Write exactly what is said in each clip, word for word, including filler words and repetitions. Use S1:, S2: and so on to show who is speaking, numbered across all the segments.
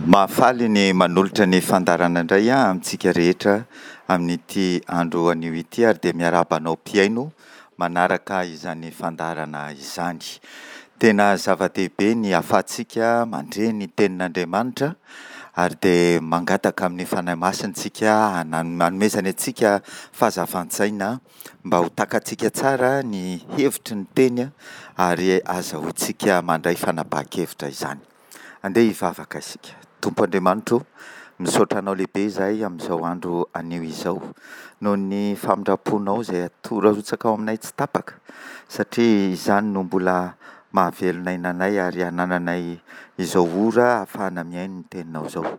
S1: Mahafaly ny manolotra ny fandaharana indray amintsika rehetra amin'ity andro anio ity ary dia miarahaba anao mpihaino manaraka izany fandaharana izany. Tena zava-dehibe ny ahafahantsika mandre ny tenin'Andriamanitra ary dia mangataka amin'ny Fanahy Masina isika hanomezany antsika fahazavan-tsaina mba ho takatsika tsara ny hevitry ny teny ary ahazahoantsika mandray fanapahan-kevitra izany. Andeha hivavaka isika. Tompo Andriamanitro o, misaotra Anao lehibe izahay amin'izao andro anio izao, noho ny famindram-ponao izay atoro arotsaka ao aminay tsy tapaka, satria izany no mbola mahavelona aina anay ary anananay izao ora ahafahana mihaino ny teninao izao.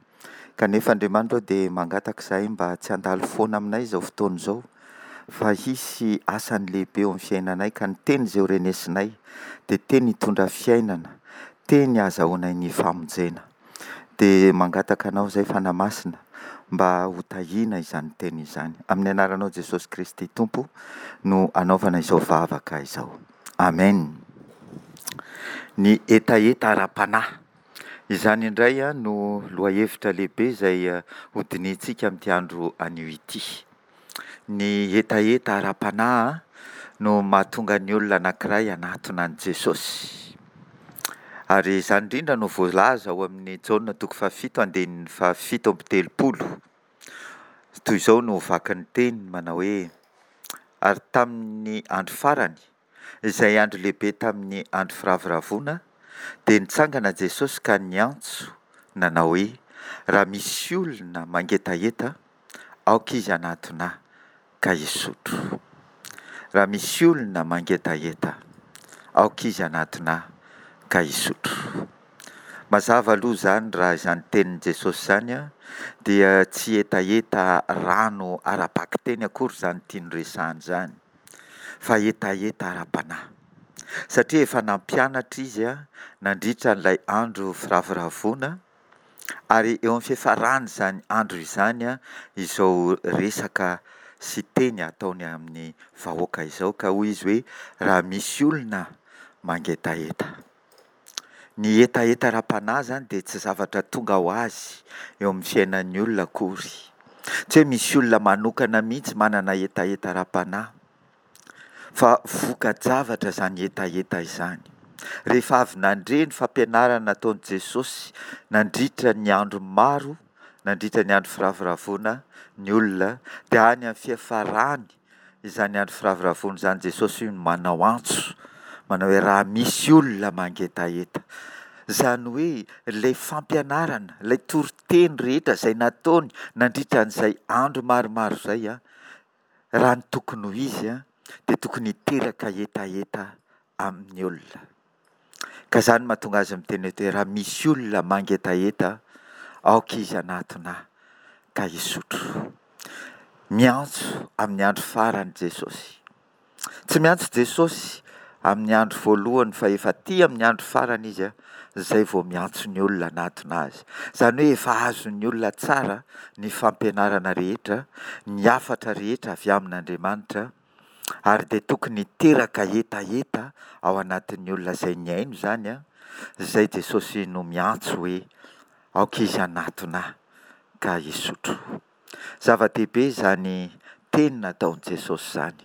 S1: Kanefa Andriamanitra o dia mangataka izahay mba tsy handalo foana aminay izao fotoana izao, fa hisy asany lehibe eo amin'ny fiainanay ka ny teny izay ho renesinay dia teny hitondra fiainana, teny ahazahoanay ny famonjena. Dia mangataka anao izay Fanahy Masina mba ho tahiana izany teny izany. Amin'ny anaranao Jesosy Kristy Tompo no anaovana izao vavaka izao. Amen. Ny hetaheta ara-panahy. Izany indray no lohahevitra lehibe izay hodinihintsika amin'ity andro anio ity. Ny hetaheta ara-panahy no mahatonga ny olona anankiray hanatona an'i Jesosy. Ary izany indrindra no voalaza ao amin'ny Jaona toko fahafito andininy fahafito amby telopolo. Toy izao no vakin'ny teny manao hoe: Ary tamin'ny andro farany, izay andro lehibe tamin'ny andro firavoravoana, dia nitsangana Jesosy ka niantso nanao hoe: Raha misy olona mangetaheta, aoka izy hanatona ahy ka hisotro. Raha misy olona mangetaheta, aoka izy hanatona ahy ka hisotro. Mazava aloha izany raha izany tenin'i Jesosy izany dia tsy hetaheta rano ara-bakiteny akory izany tiany resahana izany, fa hetaheta ara-panahy. Satria efa nampianatra izy nandritra an'ilay andro firavoravoana, ary eo amin'ny fiafaran'izany andro izany izao resaka sy teny ataony amin'ny vahoaka izao, ka hoy izy hoe raha misy olona mangetaheta. Ny hetaheta ara-panahy izany dia tsy zavatra tonga ho azy eo amin'ny fiainan'ny olona akory. Tsy hoe misy olona manokana mihitsy manana hetaheta ara-panahy, fa voka-javatra izany hetaheta izany. Rehefa avy nandre ny fampianarana nataon'i Jesosy nandritra ny andro maro, nandritra ny andro firavoravoana ny olona, dia any amin'ny fiafarany izany andro firavoravoana izany Jesosy no manao antso, manao hoe raha misy olona mangetaheta. Izany hoe ilay fampianarana, ilay toriteny rehetra izay nataony nandritra an'izay andro maromaro izay, raha ny tokony ho izy dia tokony hiteraka hetaheta amin'ny olona. Ka izany mahatonga azy miteny eto hoe raha misy olona mangetaheta, aoka izy hanatona ahy ka hisotro. Miantso amin'ny andro farany Jesosy. Tsy miantso Jesosy amin'ny andro voalohany fa efa aty amin'ny andro farany izy izay vao miantso ny olona hanatona azy. Izany hoe efa azon'ny olona tsara ny fampianarana rehetra, ny hafatra rehetra avy amin'Andriamanitra, ary dia tokony hiteraka hetaheta ao anatin'ny olona izay nihaino izany, izay Jesosy no miantso hoe aoka izy hanatona ahy ka hisotro. Zava-dehibe izany teny nataon'i Jesosy izany,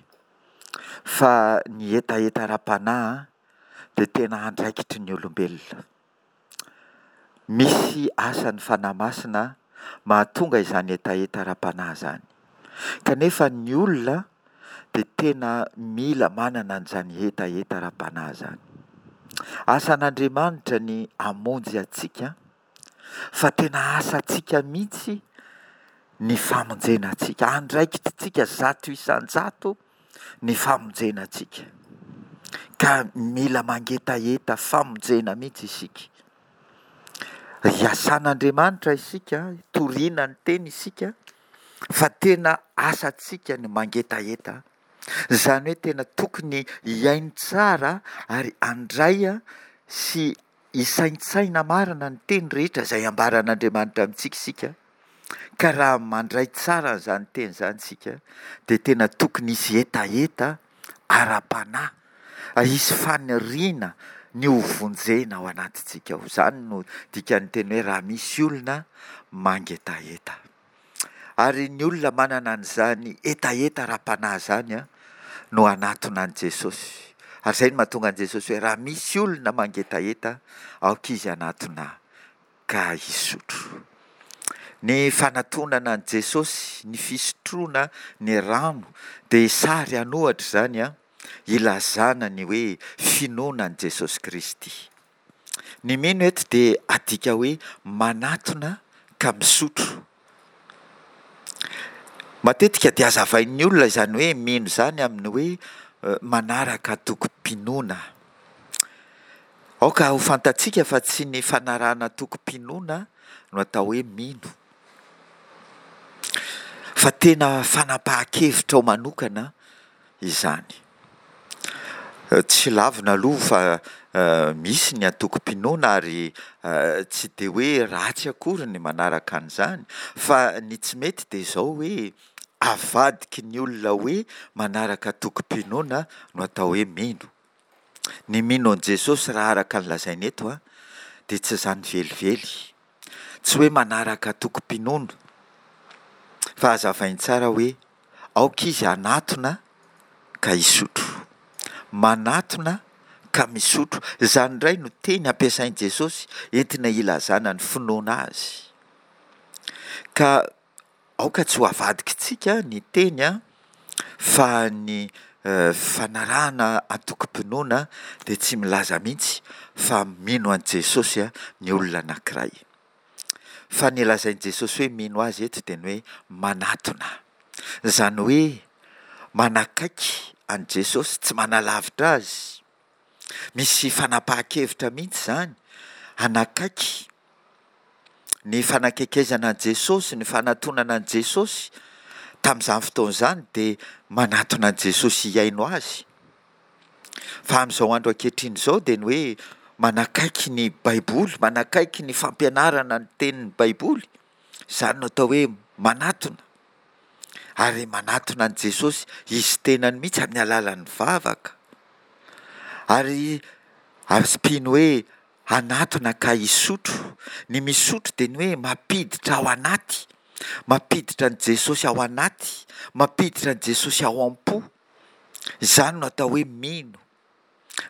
S1: fa ny hetaheta ara-panahy dia tena andraikitry ny olombelona. Misy asan'ny Fanahy Masina mahatonga izany hetaheta ara-panahy izany. Kanefa ny olona dia tena mila manana an'izany hetaheta ara-panahy izany. Asan'Andriamanitra ny hamonjy antsika, fa tena asantsika mihitsy ny famonjena antsika. Andraikitritsika zato isan-jato ny famonjena antsika. Ka mila mangetaheta famonjena mihitsy isika. Iasan'Andriamanitra isika, toriana ny teny isika, fa tena asantsika ny mangetaheta. Izany hoe tena tokony hihaino tsara ary handray sy hisaintsaina marina ny teny rehetra izay ambaran'Andriamanitra amintsika isika. Ka raha mandray tsara an'izany teny izany isika dia tena tokony hisy hetaheta ara-panahy, hisy faniriana ny ho vonjena ao anatintsika ao. Izany no dikan'ny teny hoe raha misy olona mangetaheta. Ary ny olona manana an'izany hetaheta ara-panahy izany no hanatona an'i Jesosy. Ary izay no mahatonga an'i Jesosy hoe raha misy olona mangetaheta, aoka izy hanatona ka hisotro. Ny fanatonana an'i Jesosy, ny fisotroana ny rano dia sary an'ohatra izany an, ilazana ny hoe finoana an'i Jesosy Kristy. Ny mino eto dia adika hoe manatona ka misotro. Matetika dia hazavain'ny olona izany hoe mino izany amin'ny hoe manaraka antokom-pinoana. Aoka ho fantatsika fa tsy ny fanarahana antokom-pinoana no atao hoe mino, fa tena fanapahan-kevitrao manokana izany. Tsy lavina aloha fa misy ny antokom-pinoana ary tsy dia hoe ratsy akory ny manaraka an'izany, fa ny tsy mety dia izao hoe avadiky ny olona hoe manaraka antokom-pinoana no atao hoe mino. Ny mino an'i Jesosy raha araka ny lazaina eto dia tsy izany velively. Tsy hoe manaraka antokom-pinoana fa hazavainy tsara hoe aoka izy hanatona ka hisotro. Manatona ka misotro. Izany indray no teny ampiasain'i Jesosy entina hilazana ny finoana azy. Ka aoka tsy ho avadikitsika ny teny an, fa ny fanarahana antokom-pinoana dia tsy milaza mihitsy fa mino an'i Jesosy ny olona anankiray. Fa ny lazain'i Jesosy hoe mino azy eto dia ny hoe manatona. Izany hoe manakaiky an'i Jesosy, tsy manalavitra azy. Misy fanapahan-kevitra mihitsy izany, hanakaiky. Ny fanakekezana an'i Jesosy, ny fanatonana an'i Jesosy tamin'izany fotoana izany dia manatona an'i Jesosy hihaino azy. Fa amin'izao andro ankehitriny izao dia ny hoe manakaiky ny Baiboly, manakaiky ny fampianarana ny tenin'ny Baiboly, izany no atao hoe manatona. Ary manatona an'i Jesosy izy tenany mihitsy amin'ny alalan'ny vavaka. Ary ampiny hoe hanatona ka hisotro. Ny misotro dia ny hoe mampiditra ao anaty, mampiditra an'i Jesosy ao anaty, mampiditra an'i Jesosy ao am-po. Izany no atao hoe mino.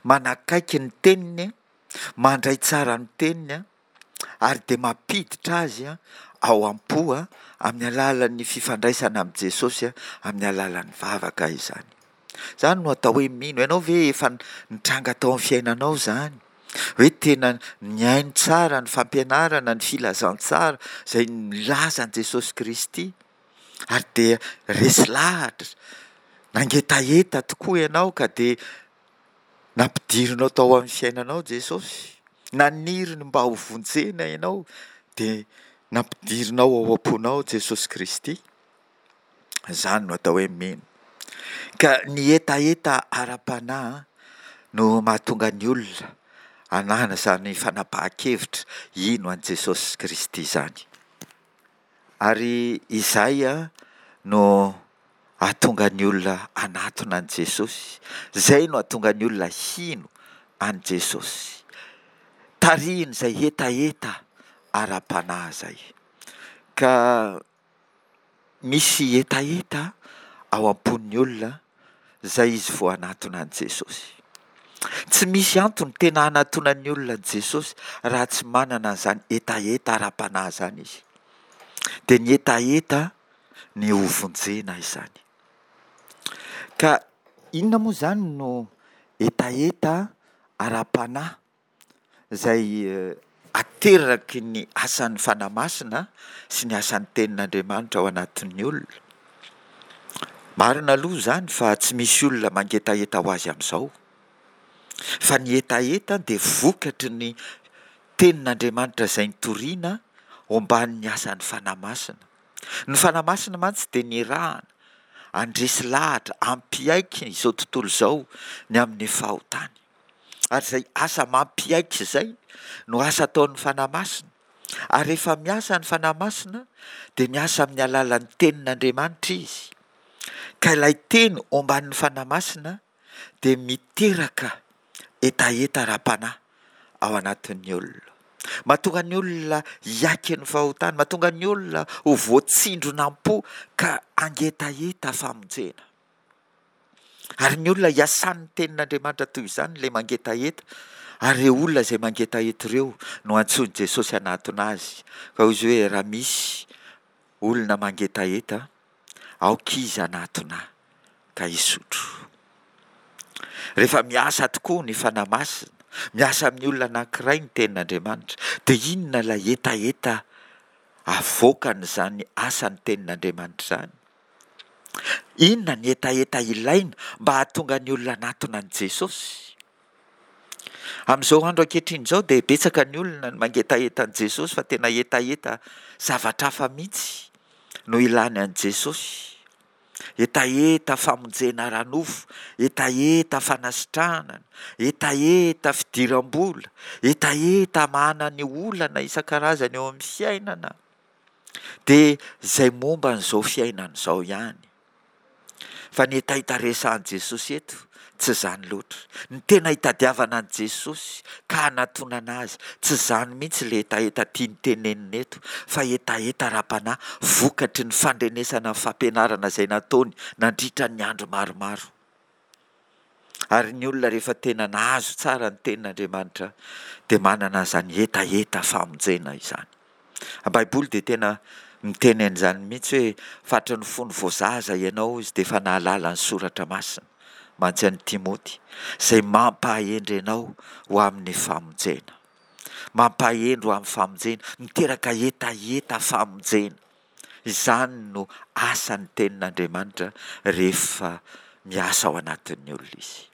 S1: Manakaiky ny teniny, mandray tsara ny teniny ary dia mampiditra azy ao am-po amin'ny alalan'ny fifandraisana amin'i Jesosy, amin'ny alalan'ny vavaka izany. Izany no atao hoe mino. Ianao ve efa nitranga tao amin'ny fiainanao izany? Hoe tena nihaino tsara ny fampianarana, ny filazantsara izay milaza an'i Jesosy Kristy ary dia resy lahatra, nangetaheta tokoa ianao ka dia nampidirinao tao amin'ny fiainanao Jesosy. Naniry ny mba ho vonjena ianao dia nampidirinao ao am-ponao Jesosy Kristy. Izany no atao hoe mino. Ka ny hetaheta ara-panahy no mahatonga ny olona hanana izany fanapahan-kevitra hino an'i Jesosy Kristy izany. Ary izay no hahatonga ny olona hanatona an'i Jesosy. Izay no hahatonga ny olona hino an'i Jesosy. Tarihin'izay hetaheta ara-panahy izay. Ka misy hetaheta ao am-pon'ny olona izay izy vao hanatona an'i Jesosy. Tsy misy antony tena hanatonan'ny olona an'i Jesosy raha tsy manana an'izany hetaheta ara-panahy izany izy. Dia ny hetaheta ny ho vonjena izany. Ka inona moa izany no hetaheta ara-panahy izay ateraky ny asan'ny Fanahy Masina sy ny asan'ny Tenin'Andriamanitra ao anatin'ny olona? Marina aloha izany fa tsy misy olona mangetaheta ho azy amin'izao. Fa ny hetaheta dia vokatry ny Tenin'Andriamanitra izay nitoriana omban'ny asan'ny Fanahy Masina. Ny Fanahy Masina mantsy dia nirahana handresy lahatra, hampiaiky izao tontolo izao ny amin'ny fahotany. Ary izay asa mampiaiky izay no asa ataon'ny Fanahy Masina. Ary rehefa miasa ny Fanahy Masina dia miasa amin'ny alalan'ny Tenin'Andriamanitra izy. Ka ilay Teny omban'ny Fanahy Masina dia miteraka hetaheta ara-panahy ao anatin'ny olona. Mahatonga ny olona hiaiky ny fahotany, mahatonga ny olona ho voatsindrona am-po ka hangetaheta famonjena. Ary ny olona iasan'ny tenin'Andriamanitra toy izany ilay mangetaheta, ary ireo olona izay mangetaheta ireo no antsoin'i Jesosy hanatona azy. Ka hoy izy hoe raha misy olona mangetaheta, aoka izy hanatona ahy ka hisotro. Rehefa miasa tokoa ny Fanahy Masina, miasa amin'ny olona anankiray ny tenin'Andriamanitra, dia inona ilay hetaheta avoakan'izany asan'ny tenin'Andriamanitra izany? Inona ny hetaheta ilaina mba hahatonga ny olona hanatona an'i Jesosy? Amin'izao andro ankehitriny izao dia betsaka ny olona no mangetaheta an'i Jesosy fa tena hetaheta zavatra hafa mihitsy no ilany an'i Jesosy. Hetaheta famonjena ara-nofo, hetaheta fanasitranana, hetaheta fidiram-bola, hetaheta hamahana ny olana isan-karazany eo amin'ny fiainana. Dia izay momba an'izao fiainana izao ihany. Fa ny hetaheta resahan'i Jesosy eto, tsy izany loatra. Ny tena hitadiavana an'i Jesosy ka hanatonana Azy, tsy izany mihitsy ilay hetaheta tiany tenenina eto, fa hetaheta ara-panahy vokatry ny fandrenesana ny fampianarana izay nataony nandritra ny andro maromaro. Ary ny olona rehefa tena nahazo tsara ny tenin'Andriamanitra dia manana an'izany hetaheta famonjena izany. Ny Baiboly dia tena miteny an'izany mihitsy hoe fatry ny fony vao zaza ianao izy dia efa nahalala ny soratra masina, mantsy an'i Timoty, izay mampahendry anao ho amin'ny famonjena. Mampahendry ho amin'ny famonjena, miteraka hetaheta famonjena. Izany no asan'ny tenin'Andriamanitra rehefa miasa ao anatin'ny olona izy.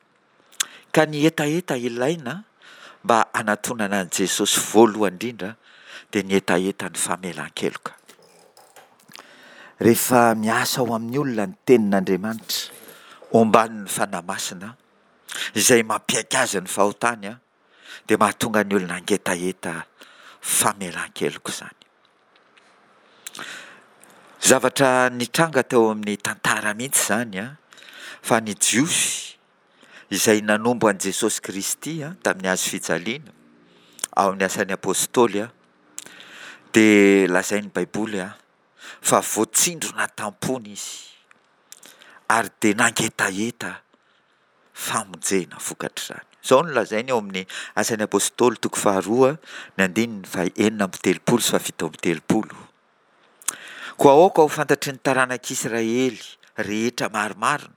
S1: Ka ny hetaheta ilaina mba hanatonana an'i Jesosy voalohany indrindra dia ny hetaheta ny famelan-keloka. Rehefa miasa ao amin'ny olona ny tenin'Andriamanitra, omban'ny Fanahy Masina, izay mampiaiky azy ny fahotany, dia mahatonga ny olona hangetaheta famelan-keloka izany. Zavatra nitranga teo amin'ny tantara mihitsy izany, fa ny Jiosy izay nanombo an'i Jesosy Kristy tamin'ny hazo fijaliana, ao amin'ny Asan'ny Apostoly, dia lazain'ny Baiboly fa voatsindrona tam-pony izy ary dia nangetaheta famonjena vokatr'izany. Izao no lazainy ao amin'ny Asan'ny Apostoly toko faharoa ny andininy fahenina amby telopolo sy fahafito amby telopolo. Koa aoka ho fantatry ny taranak'Israely rehetra marimarina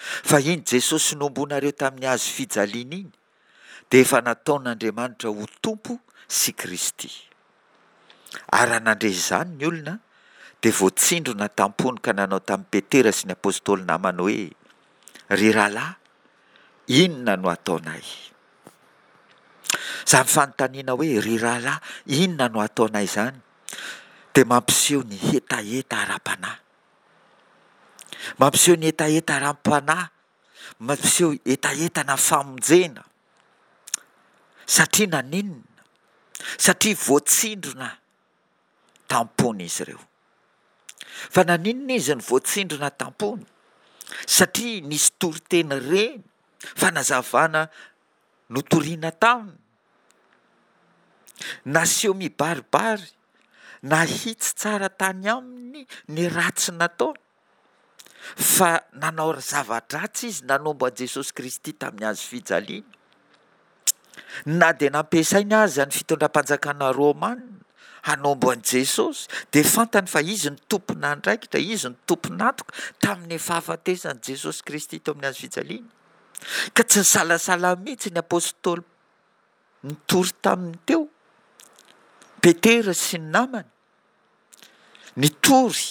S1: fa iny Jesosy nombonareo tamin'ny hazo fijaliana iny dia efa nataon'Andriamanitra ho Tompo sy Kristy. Ary raha nandre izany ny olona dia voatsindrona tam-pony ka nanao tamin'i Petera sy ny apostoly namany hoe, Ry rahalahy, inona no hataonay? Izany fanontaniana hoe, Ry rahalahy, inona no hataonay izany dia mampiseho ny hetaheta ara-panahy. Mampiseho ny hetaheta ara-panahy, mampiseho hetahetana famonjena. Satria naninona? Satria voatsindrona tam-pony izy ireo. Fa naninona izy no voatsindrona tam-pony? Satria nisy toriteny reny, fanazavana notorina taminy, naseho mibaribary, nahitsy tsara tany aminy ny ratsy nataony. Fa nanao zava-dratsy izy nanombo an'i Jesosy Kristy tamin'ny hazo fijaliana. Na dia nampiasainy aza ny fitondram-panjakana romana hanombo an'i Jesosy, dia fantany fa izy no tompon'andraikitra, izy no tompon'antoka tamin'ny fahafatesan'i Jesosy Kristy teo amin'ny hazo fijaliana. Ka tsy nisalasala mihitsy ny apostoly nitory taminy teo, Petera sy ny namany, nitory.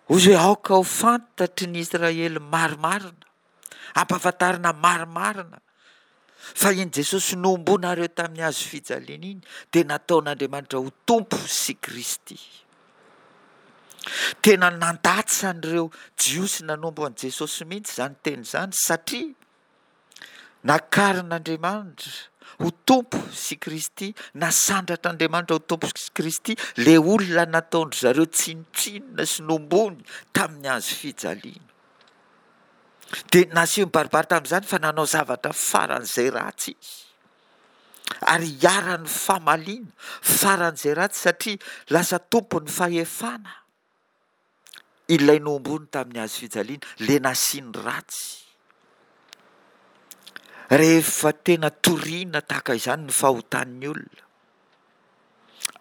S1: Hoy izy hoe aoka ho fantatry ny Israely marimarina, ampahafantarina marimarina fa iny Jesosy nohomboanareo tamin'ny hazo fijaliana iny dia nataon'Andriamanitra ho Tompo sy Kristy. Tena nandatsa an'ireo Jiosy nanombo an'i Jesosy mihitsy izany teny izany satria Nakarin'Andriamanitra ho Tompo sy Kristy, nasandratr'Andriamanitra ho Tompo sy Kristy ilay olona nataon-dry zareo tsinontsinona sy nombony tamin'ny hazo fijaliana. Dia naseho mibaribary tamin'izany fa nanao zavatra faran'izay ratsy izy. Ary iharan'ny famaliana faran'izay ratsy satria lasa tompon'ny fahefana ilay nohomboany tamin'ny hazo fijaliana, ilay nasiany ratsy. Rehefa tena torina tahaka izany ny fahotan'ny olona,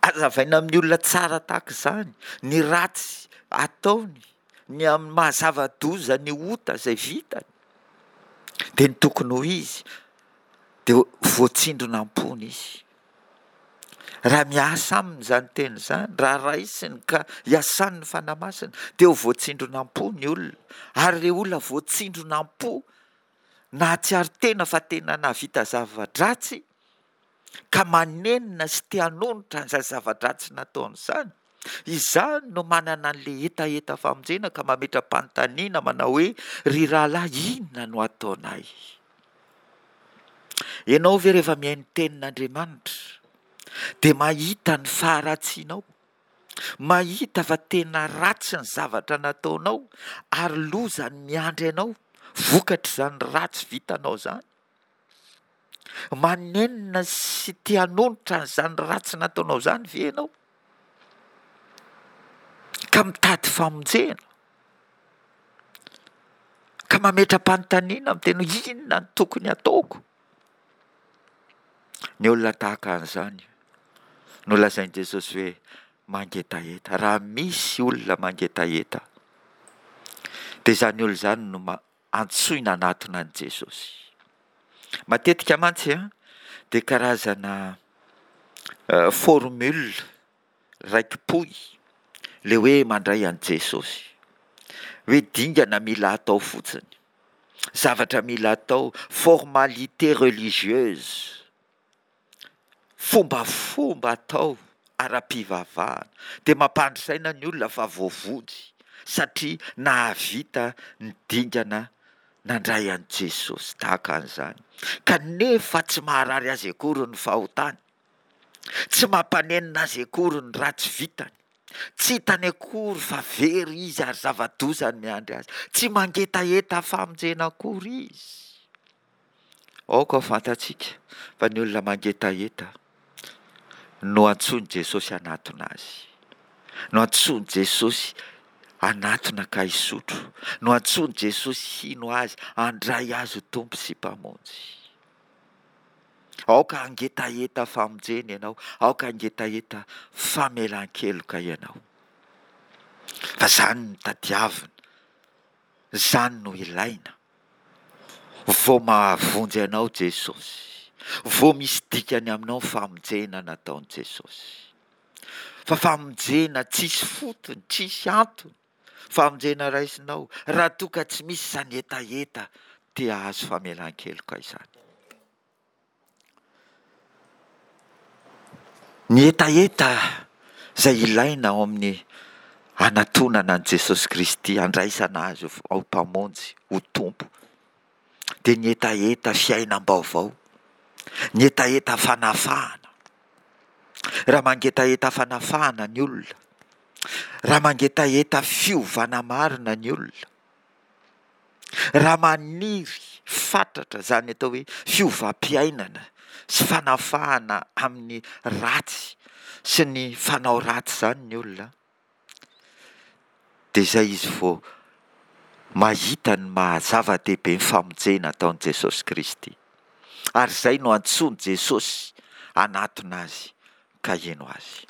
S1: hazavaina amin'ny olona tsara tahaka izany ny ratsy ataony, ny amin'ny maha zava-doza ny ota izay vitany, dia ny tokony ho izy dia voatsindrona am-pony izy. Raha miasa aminy izany teny izany, raha raisiny ka iasan'ny Fanahy Masina, dia ho voatsindrona am-po ny olona. Ary ilay olona voatsindrona am-po, nahatsiaro tena fa tena nahavita zava-dratsy, ka manenina sy te hanonitra an'izany zava-dratsy nataony izany, izany no manana an'ilay hetaheta famonjena ka mametra-panontaniana manao hoe, Ry rahalahy, inona no ataonay? Ianao ve rehefa mihaino tenin'Andriamanitra dia mahita ny faharatsianao, mahita fa tena ratsy ny zavatra nataonao ary loza ny miandry anao vokatr'izany ratsy vitanao izany? Manenina sy te hanonitra an'izany ratsy nataonao izany ve ianao? Ka mitady famonjena? Ka mametra-panontaniana miteny hoe inona no tokony hataoko? Ny olona tahaka an'izany no lazain'i Jesosy hoe mangetaheta. Raha misy olona mangetaheta dia izany olona izany no antsoina hanatona an'i Jesosy. Matetika mantsy dia karazana formule raiki-pohy ilay hoe mandray an'i Jesosy. Hoe dingana mila atao fotsiny, zavatra mila atao, formalité religieuse, fombafomba atao ara-pivavahana, dia mampandry saina ny olona fa voavonjy satria nahavita ny dingana nandray an'i Jesosy tahaka an'izany. Kanefa tsy maharary azy akory ny fahotany. Tsy mampanenina azy akory ny ratsy vitany. Tsy hitany akory fa very izy ary zava-doza ny miandry azy. Tsy mangetaheta famonjena akory izy. Aoka ho fantatsika fa ny olona mangetaheta no antsoin'i Jesosy hanatona azy. No antsoin'i Jesosy hanatona ka hisotro. No antsoin'i Jesosy hino azy, handray azy ho Tompo sy Mpamonjy. Aoka hangetaheta famonjena ianao, aoka hangetaheta famelan-keloka ianao. Fa izany no tadiavina, izany no ilaina. Vao mahavonjy anao Jesosy, vao misy dikany aminao ny famonjena nataon'i Jesosy. Fa famonjena tsisy fotony, tsisy antony, famonjena raisinao raha toa ka tsy misy izany hetaheta te hahazo famelan-keloka izany. Ny hetaheta izay ilaina ao amin'ny hanatonana an'i Jesosy Kristy, handraisana Azy ho Mpamonjy, ho Tompo, dia ny hetaheta fiainam-baovao, ny hetaheta fanafahana. Raha mangetaheta fanafahana ny olona, raha mangetaheta fiovana marina ny olona, Raha maniry fatratra izany atao hoe fiovam-piainana sy fanafahana amin'ny ratsy sy ny fanao ratsy izany ny olona, dia izay izy vao mahita ny maha zava-dehibe ny famonjena ataon'i Jesosy Kristy. Ary izay no antsoin'i Jesosy hanatona azy ka hino azy.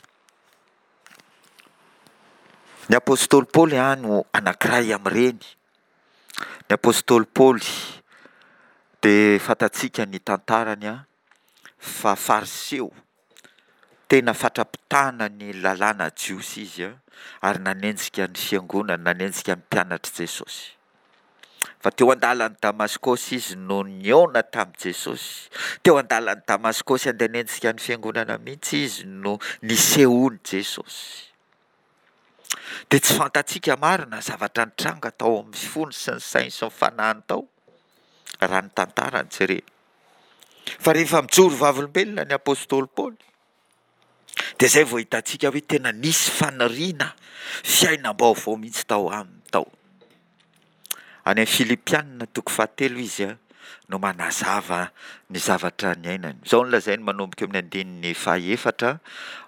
S1: Ny apostoly Paoly no anankiray amin'ireny. Ny apostoly Paoly dia fantatsika ny tantarany fa Fariseo, tena fatra-pitana ny lalàna jiosy izy ary nanenjika ny fiangonana, nanenjika ny mpianatr'i Jesosy. Fa teo an-dalan'i Damaskosy izy no nihaona tamin'i Jesosy. Teo an-dalan'i Damaskosy andeha hanenjika ny fiangonana mihitsy izy no nisehoan'i Jesosy. Dia tsy fantatsika marina zavatra nitranga tao amin'ny fony sy ny sainy sy ny fanahiny tao, raha ny tantara no jerena. Fa rehefa mijoro vavolombelona ny apostoly Paoly, Dia izay vao hitantsika hoe tena nisy faniriana fiainam-baovao mihitsy tao aminy tao. Any amin'ny Filipiana toko fahatelo izy no manazava ny zavatra niainany. Izao no lazainy manomboka eo amin'ny andininy fahaefatra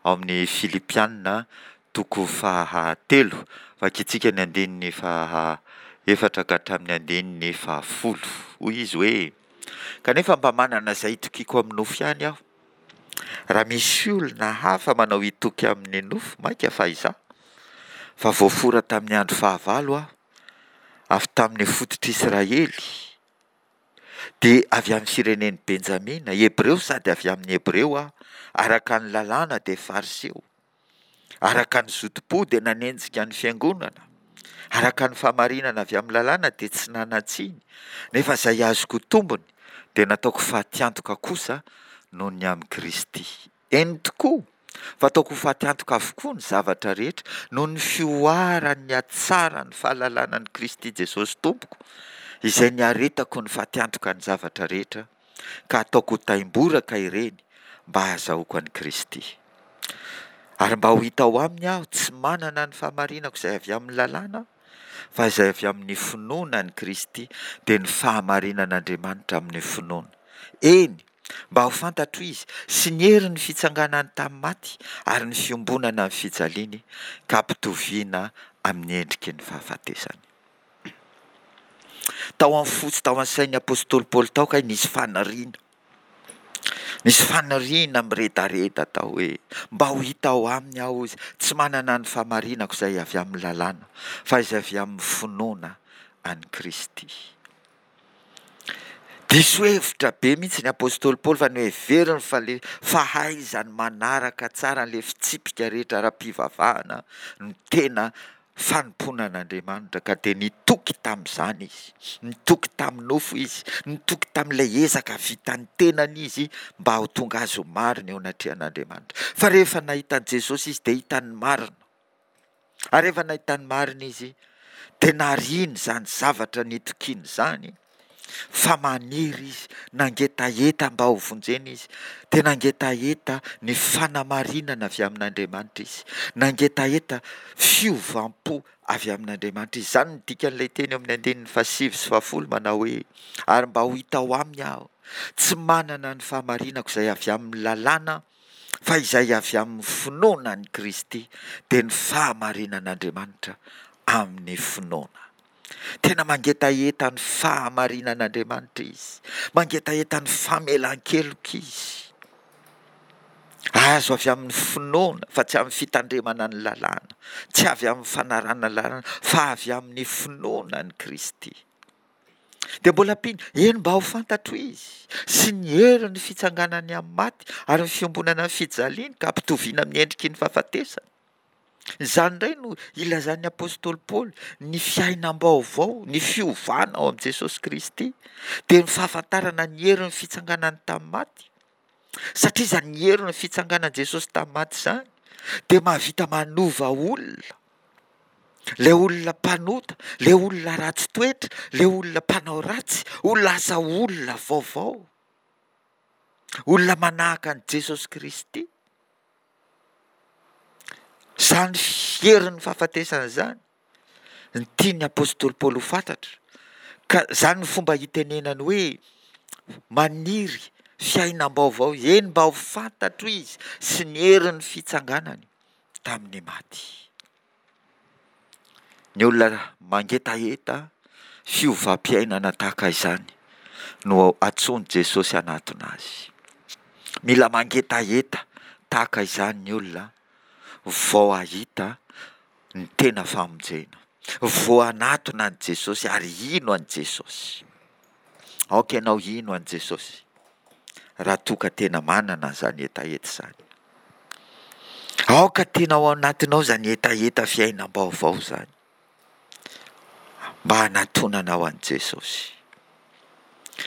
S1: ao amin'ny Filipiana toko fahatelo. Vakintsika ny andininy faha efatra ka hatramin'ny andininy fahafolo. Hoy izy hoe: Kanefa mba manana izay itokiako amin'ny nofo ihany aho. Raha misy olona hafa manao hitoky amin'ny nofo, mainka fa izaho, fa voafora tamin'ny andro fahavalo aho, avy tamin'ny fototr'Israely, dia avy amin'ny firenen'i Benjamina, Hebreo sady avy amin'ny Hebreo aho, araka ny lalàna dia Fariseo, araka ny zotom-po dia nanenjika ny fiangonana, araka ny fahamarinana avy amin'ny lalàna dia tsy nanan-tsiny, nefa izay azoko tombony dia nataoko fatiantoka kosa noho ny amin'i Kristy. Eny tokoa, fa ataoko ho fatiantoka avokoa ny zavatra rehetra noho ny fihoaran'ny hatsaran'ny fahalalana an'i Kristy Jesosy Tompoko, izay niaretako ny fatiantoka ny zavatra rehetra, ka ataoko ho taimboraka ireny mba hahazahoako an'i Kristy. Ary mba ho hita ao aminy aho, tsy manana ny fahamarinako izay avy amin'ny lalàna, fa izay avy amin'ny finoana an'i Kristy, dia ny fahamarinan'Andriamanitra amin'ny finoana. Eny, mba ho fantatro Izy, sy ny herin'ny fitsanganany tamin'ny maty, ary ny fiombonana amin'ny fijaliany, ka hampitoviana amin'ny endriky ny fahafatesany. Tao amin'ny fo sy tao amin'ny sain'ny apostoly Paoly tao kay nisy faniriana. Nisy faniriana miredareda tao hoe, mba ho hita ao aminy aho hozy, tsy manana ny fahamarinako izay avy amin'ny lalàna, fa izay avy amin'ny finoana an'i Kristy. Diso hevitra be mihitsy ny apostoly Paoly fa noheveriny fa le fahaizany manaraka tsara an'ilay fitsipika rehetra ara-pivavahana no tena fanompoana an'Andriamanitra ka dia nitoky tamin'izany izy, nitoky tamin'ny nofo izy, nitoky tamin'ilay ezaka vitan'ny tenany izy mba ho tonga azy ho marina eo anatrehan'Andriamanitra. Fa rehefa nahita an'i Jesosy izy dia hitany ny marina. Ary rehefa nahita ny marina izy, dia nariany izany zavatra nitokiany izany, fa maniry izy, nangetaheta mba ho vonjena izy, dia nangetaheta ny fanamarinana avy amin'Andriamanitra izy, nangetaheta fiovam-po avy amin'Andriamanitra izy. Izany no dikan'ilay teny eo amin'ny andininy fahasivy sy fahafolo manao hoe, Ary mba ho hita ao aminy aho, tsy manana ny fahamarinako izay avy amin'ny lalàna, fa izay avy amin'ny finoana an'i Kristy, dia ny fahamarinan'Andriamanitra amin'ny finoana. Tena mangetaheta ny fahamarinan'Andriamanitra izy, mangetaheta ny famelan-keloka izy. Azo avy amin'ny finoana fa tsy amin'ny fitandremana ny lalàna, tsy avy amin'ny fanarahana ny lalàna fa avy amin'ny finoana an'i Kristy. Dia mbola ampiany, eny mba ho fantatro izy, sy ny herin'ny fitsanganany amin'ny maty ary ny fiombonana ny fijaliany ka ampitoviana amin'ny endriky ny fahafatesana. Izany indray no ilazan'ny apostoly Paoly ny fiainam-baovao, ny fiovana ao amin'i Jesosy Kristy, dia ny fahafantarana ny herin'ny fitsanganany tamin'ny maty. Satria izany herin'ny fitsanganan'i Jesosy tamin'ny maty izany dia mahavita manova olona. Ilay olona mpanota, ilay olona ratsy toetra, ilay olona mpanao ratsy ho lasa olona vaovao. Olona manahaka an'i Jesosy Kristy. Izany herin'ny fahafatesana izany no tian'ny apostoly Paoly ho fantatra. Ka izany no fomba hitenenany hoe maniry fiainam-baovao, eny mba ho fantatro izy sy ny herin'ny fitsanganany tamin'ny maty. Ny olona mangetaheta fiovam-piainana tahaka izany no antsoin'i Jesosy hanatona azy. Mila mangetaheta tahaka izany ny olona vao hahita ny tena famonjena, vao hanatona an'i Jesosy ary hino an'i Jesosy. Aoka ianao hino an'i Jesosy raha toa ka tena manana an'izany hetaheta izany. Aoka tena ao anatinao izany hetaheta fiainam-baovao izany mba hanatonanao an'i Jesosy.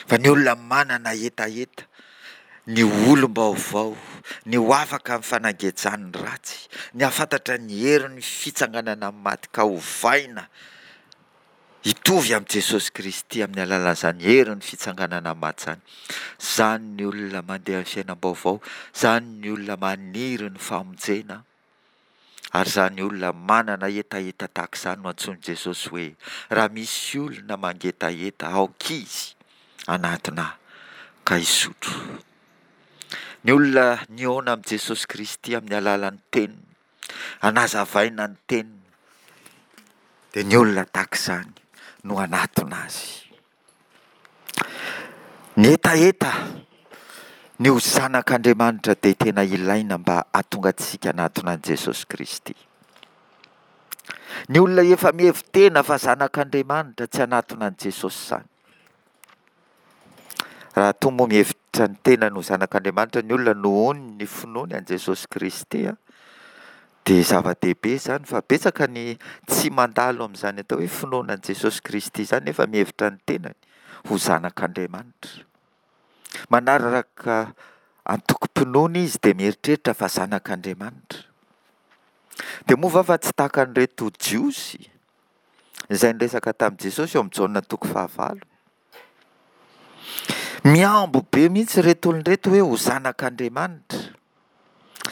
S1: Fa ny olona manana hetaheta ny ho olom-baovao, ny ho afaka amin'ny fanagejan'ny ratsy, ny hahafantatra ny herin'ny fitsanganana amin'ny maty ka hovaina hitovy amin'i Jesosy Kristy amin'ny alalan'izany herin'ny fitsanganana amin'ny maty izany. Izany ny olona mandeha amin'ny fiainam-baovao, izany ny olona maniry ny famonjena Ary izany olona manana hetaheta tahaka izany no antsoin'i Jesosy hoe, Raha misy olona mangetaheta, aoka izy hanatona Ahy ka hisotro. Ny olona nihaona amin'i Jesosy Kristy amin'ny alalan'ny Teniny, hanazavaina ny Teniny, dia ny olona tahaka izany no hanatona Azy. Ny hetaheta ny ho zanak'Andriamanitra dia tena ilaina mba hahatonga antsika hanatona an'i Jesosy Kristy. Ny olona efa mihevi-tena fa zanak'Andriamanitra tsy hanatona an'i Jesosy izany. Raha toa moa mihevitra ny tenany ho zanak'Andriamanitra ny olona nohon' ny finoany an'i Jesosy Kristy, dia zava-dehibe izany fa betsaka ny tsy mandalo amin'izany atao hoe finoana an'i Jesosy Kristy izany nefa mihevitra ny tenany ho zanak'Andriamanitra. Manaraka antokom-pinoana izy dia mieritreritra fa zanak'Andriamanitra. Dia moa va fa tsy tahaka an'ireto Jiosy izay niresaka tamin'i Jesosy eo amin'ny Jaona toko fahavalo? Mihambo be mihitsy ireto olona ireto hoe ho zanak'Andriamanitra.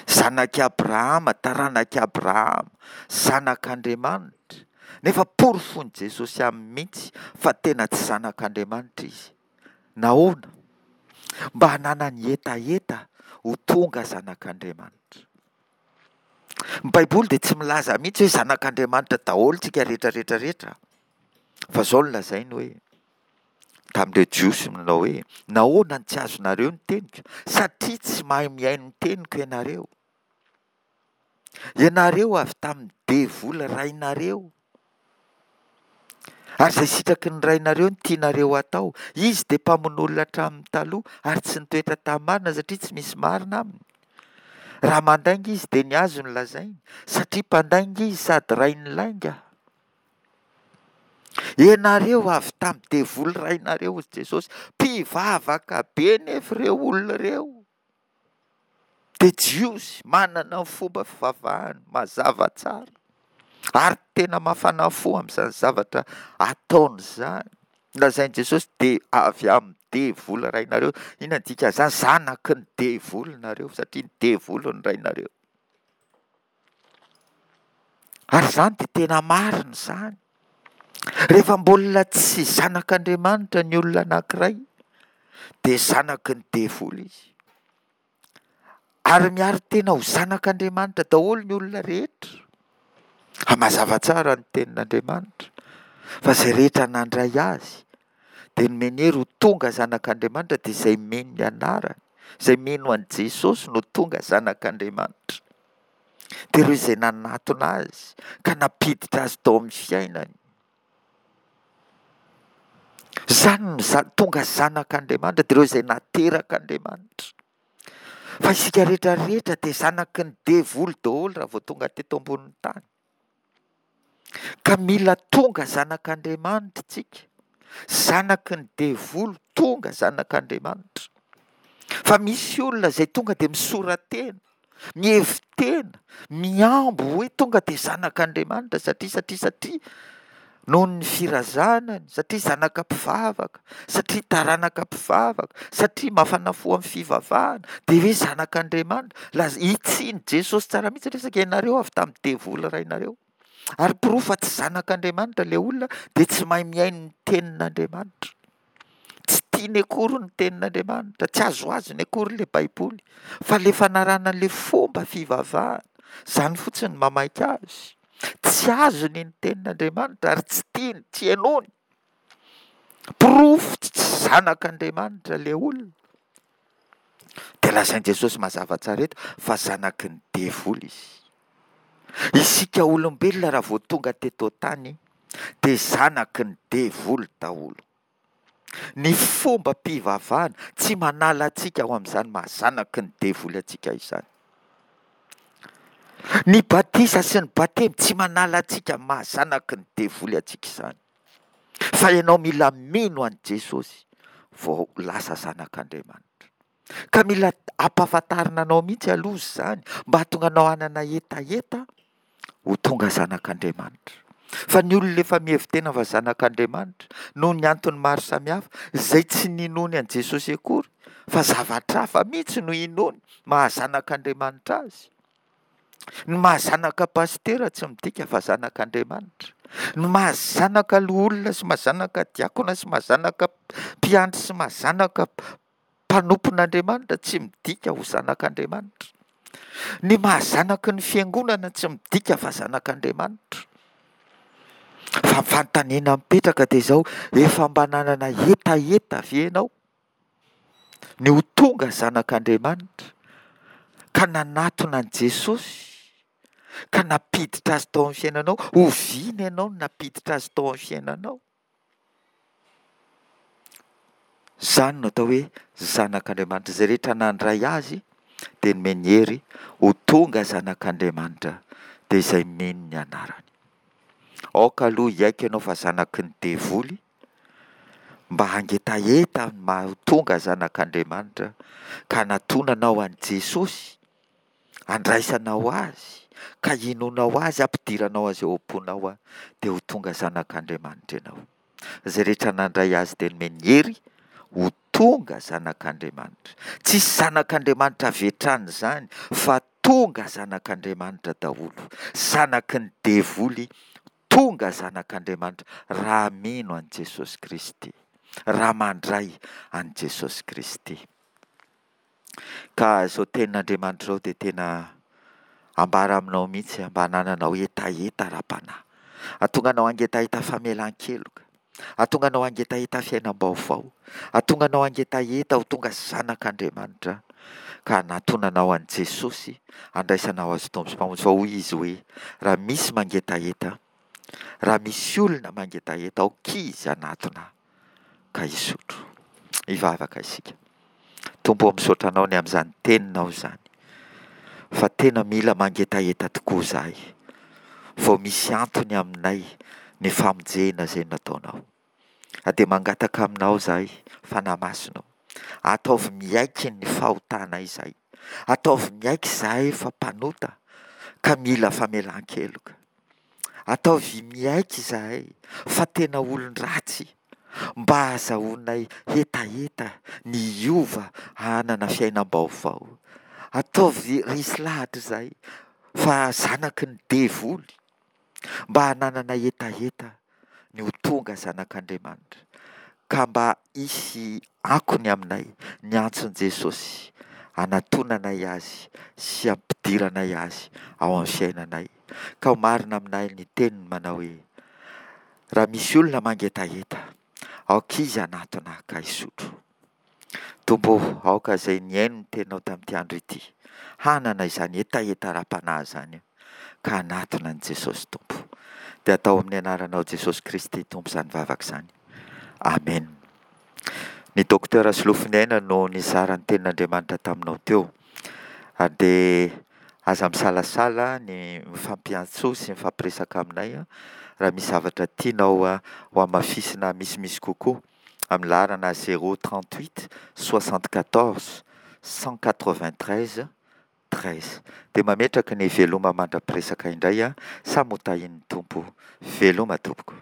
S1: Zanak'i Abrahama, taranak'i Abrahama, zanak'Andriamanitra. Nefa porofoin'i Jesosy aminy mihitsy fa tena tsy zanak'Andriamanitra izy. Nahoana? Mba hananany hetaheta ho tonga zanak'Andriamanitra. Ny Baiboly dia tsy milaza mihitsy hoe zanak'Andriamanitra daholo tsika rehetra rehetra rehetra. Fa izao no lazainy hoe, tamin'ireo Jiosy nanao hoe, nahoana no tsy azonareo ny teniko? Satria tsy mahay mihaino ny teniko ianareo. Ianareo avy tamin'ny devoly rainareo. Ary izay sitraky ny rainareo no tianareo hatao. Izy dia mpamono olona hatramin'ny taloha ary tsy nitoetra tamin'ny marina satria tsy misy marina aminy. Raha mandainga izy dia ny azy no lazainy, satria mpandainga izy sady rain'ny lainga. Ianareo avy tamin'ny devoly rainareo, hoy Jesosy. Mpivavaka be nefa ireo olona ireo. Dia Jiosy manana ny fomba fivavahany mazava tsara ary tena mafana fo amin'izany zavatra ataony izany. Lazain'i Jesosy dia avy amin'ny devoly rainareo. Inona ny dikan'izany? Zanaky ny devoly nareo satria ny devoly no rainareo. Ary izany dia tena marina izany. Rehefa mbola tsy zanak'Andriamanitra ny olona anankiray dia zanaky ny devoly izy. Ary miaro tena ho zanak'Andriamanitra daholo ny olona rehetra. Fa mazava tsara ny tenin'Andriamanitra fa izay rehetra nandray azy dia nomeny hery ho tonga zanak'Andriamanitra, dia izay mino ny anarany, izay mino an'i Jesosy no tonga zanak'Andriamanitra. Dia ireo izay nanatona azy ka nampiditra azy tao amin'ny fiainany. Izany no za-, tonga zanak'Andriamanitra, dia ireo izay naterak'Andriamanitra. Fa isika rehetra rehetra dia zanaky ny devoly daholo raha vao tonga teto ambonin'ny tany. Ka mila tonga zanak'Andriamanitra isika. Zanaky ny devoly tonga zanak'Andriamanitra. Fa misy olona izay tonga dia misora-tena, mihevi-tena, mihambo hoe tonga dia zanak'Andriamanitra satria, satria, satria noho ny firazanany, satria zanaka mpivavaka, satria taranaka mpivavaka, satria mafana fo amin'ny fivavahana, dia hoe zanak'Andriamanitra. Laz-, hitsiny Jesosy tsara mihitsy resaka, ianareo avy tamin'ny devoly rainareo. Ary porofo fa tsy zanak'Andriamanitra ilay olona dia tsy mahay mihaino ny tenin'Andriamanitra. Tsy tiany akory ny tenin'Andriamanitra, tsy azoazony akory ilay Baiboly, fa ilay fanarahana ilay fomba fivavahana, izany fotsiny no mamaika azy. Tsy azony ny tenin'Andriamanitra ary tsy tiany, tsy henoiny. Porofo tsy zanak'Andriamanitra ilay olona. Dia lazain'i Jesosy mazava tsara eto fa zanaky ny devoly izy. Isika olombelona raha vao tonga teto an-tany dia zanaky ny devoly daholo. Ny fombam-pivavahana tsy manala antsika ao amin'izany maha zanaky ny devoly antsika izany. Ny batisa sy ny batemy tsy manala antsika amin'ny maha zanaky ny devoly antsika izany. Fa ianao mila mino an'i Jesosy vao lasa zanak'Andriamanitra. Ka mila ampahafantarina anao mihitsy aloha izany mba hahatonga anao hanana hetaheta ho tonga zanak'Andriamanitra. Fa ny olona efa mihevi-tena fa zanak'Andriamanitra noho ny antony maro samihafa, izay tsy ninoany an'i Jesosy akory, fa zavatra hafa mihitsy no inoany maha zanak'Andriamanitra azy, Ny maha zanaka pasitera tsy midika fa zanak'Andriamanitra. Ny maha zanaka loholona sy maha zanaka diakona sy maha zanaka mpiandry sy maha zanaka mpanompon'Andriamanitra tsy midika ho zanak'Andriamanitra. Ny maha zanaky ny fiangonana tsy midika fa zanak'Andriamanitra. Fa ny fanontaniana mipetraka dia izao, efa mba nanana hetaheta ve ianao ny ho tonga zanak'Andriamanitra ka nanatona an'i Jesosy ka nampiditra azy tao amin'ny fiainanao? Oviana ianao no nampiditra azy tao amin'ny fiainanao? Izany no atao hoe zanak'Andriamanitra. Izay rehetra nandray azy dia nomeny hery ho tonga zanak'Andriamanitra, dia izay mino ny anarany. Aoka aloha hiaiky ianao fa zanaky ny devoly, mba hangetaheta ny maha ho tonga zanak'Andriamanitra, ka hanatonanao an'i Jesosy, handraisanao Azy, ka hinoanao Azy, hampidiranao Azy ao am-ponao, dia ho tonga zanak'Andriamanitra ianao. Izay rehetra nandray Azy dia nomeny hery ho tonga zanak'Andriamanitra. Tsisy zanak'Andriamanitra avy hatrany izany fa tonga zanak'Andriamanitra daholo. Zanaky ny devoly tonga zanak'Andriamanitra raha mino an'i Jesosy Kristy, raha mandray an'i Jesosy Kristy. Ka izao tenin'Andriamanitra izao dia tena ambara aminao mihitsy mba hanananao hetaheta ara-panahy. Hahatonga anao hangetaheta famelan-keloka. Hahatonga anao hangetaheta fiainam-baovao. Hahatonga anao hangetaheta ho tonga zanak'Andriamanitra ka hanatonanao an'i Jesosy, handraisanao Azy Tompo sy Mpamonjy. Fa hoy Izy hoe, raha misy mangetaheta, raha misy olona mangetaheta, aoka izy hanatona ka hisotro. Hivavaka isika. Tompo ô, misaotra Anao ny amin'izany teninao izany, fa tena mila mangetaheta tokoa izahay, vao misy antony aminay ny famonjena izay nataonao. Ary dia mangataka aminao izahay, Fanahy Masina ô, ataovy miaiky ny fahotanay izahay, ataovy miaiky izahay fa mpanota ka mila famelan-keloka. Ataovy miaiky izahay fa tena olon-dratsy mba hahazahoanay hetaheta ny hiova hanana fiainam-baovao. Ataovy resy lahatra izahay fa zanaky ny devoly mba hananana hetaheta ny ho tonga zanak'Andriamanitra ka mba hisy akony aminay ny antson'i Jesosy hanatonanay Azy sy hampidiranay Azy ao amin'ny fiainanay. Ka ho marina aminay ny teniny manao hoe, Raha misy olona mangetaheta, aoka izy hanatona ka hisotro. Tompo ô, aoka izay nihaino ny teninao tamin'ity andro ity, hanana izany hetaheta ara-panahy izany ka hanatona an'i Jesosy Tompo. Dia atao amin'ny anaranao Jesosy Kristy Tompo izany vavaka izany. Amen. Ny Docteur Solofoniaina no nizara ny tenin'Andriamanitra taminao teo. Ary dia aza misalasala ny mifampiantso sy mifampiresaka aminay raha misy zavatra tianao ho hamafisina misimisy kokoa amin'ny laharana zéro trente huit soixante quatorze cent quatre vingt treize treize. Dia mametraka ny veloma mandra-piresaka indray, samy ho tahian'ny Tompo. Veloma tompoko.